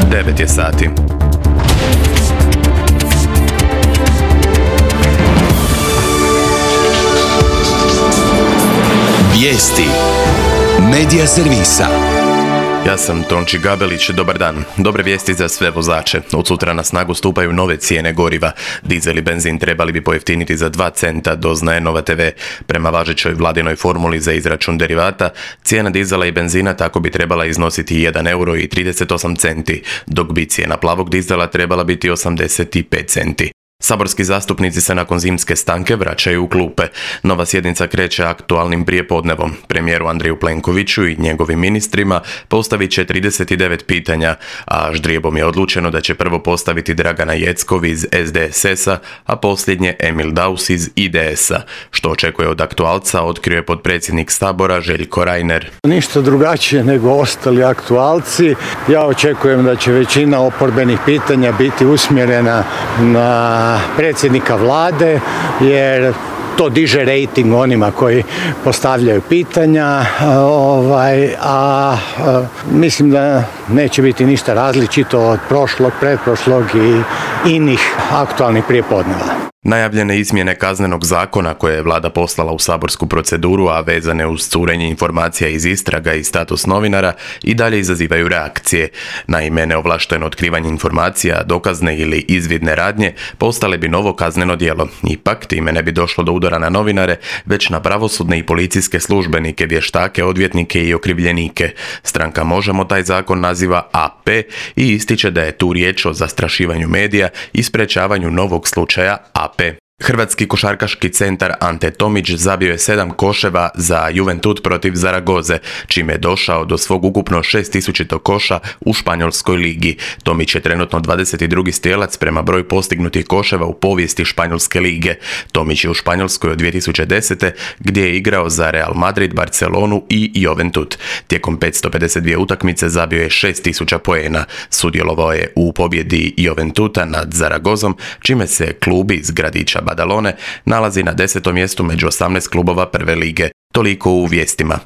9 je sati. Vijesti Medija servisa. Ja sam Tonči Gabelić, dobar dan. Dobre vijesti za sve vozače. Od sutra na snagu stupaju nove cijene goriva. Dizel i benzin trebali bi pojeftiniti za 2 centa, doznaje Nova TV. Prema važećoj vladinoj formuli za izračun derivata, cijena dizela i benzina tako bi trebala iznositi 1 euro i 38 centi, dok bi cijena plavog dizela trebala biti 85 centi. Saborski zastupnici se nakon zimske stanke vraćaju u klupe. Nova sjednica kreće aktualnim prijepodnevom. Premijeru Andreju Plenkoviću i njegovim ministrima postavit će 39 pitanja, a ždrijebom je odlučeno da će prvo postaviti Dragana Jeckov iz SDSS-a, a posljednje Emil Daus iz IDS-a. Što očekuje od aktualca, otkrio je potpredsjednik Sabora Željko Reiner. Ništa drugačije nego ostali aktualci. Ja očekujem da će većina oporbenih pitanja biti usmjerena na predsjednika vlade, jer to diže rejting onima koji postavljaju pitanja, mislim da neće biti ništa različito od prošlog, pretprošlog i inih aktualnih prijepodneva. Najavljene izmjene Kaznenog zakona koje je vlada poslala u saborsku proceduru, a vezane uz curenje informacija iz istraga i status novinara, i dalje izazivaju reakcije. Naime, neovlašteno otkrivanje informacija, dokazne ili izvidne radnje postale bi novo kazneno djelo. Ipak, time ne bi došlo do udara na novinare, već na pravosudne i policijske službenike, vještake, odvjetnike i okrivljenike. Stranka Možemo taj zakon naziva AP i ističe da je tu riječ o zastrašivanju medija i sprečavanju novog slučaja AP. Hrvatski košarkaški centar Ante Tomić zabio je 7 koševa za Juventud protiv Zaragoze, čime je došao do svog ukupno 6000 koša u španjolskoj ligi. Tomić je trenutno 22. strijelac prema broju postignutih koševa u povijesti španjolske lige. Tomić je u Španjolskoj od 2010. gdje je igrao za Real Madrid, Barcelonu i Juventud. Tijekom 552 utakmice zabio je 6000 poena. Sudjelovao je u pobjedi Juventuda nad Zaragozom, čime se klub iz gradića Badalone nalazi na 10. mjestu među 18 klubova prve lige. Toliko u vijestima.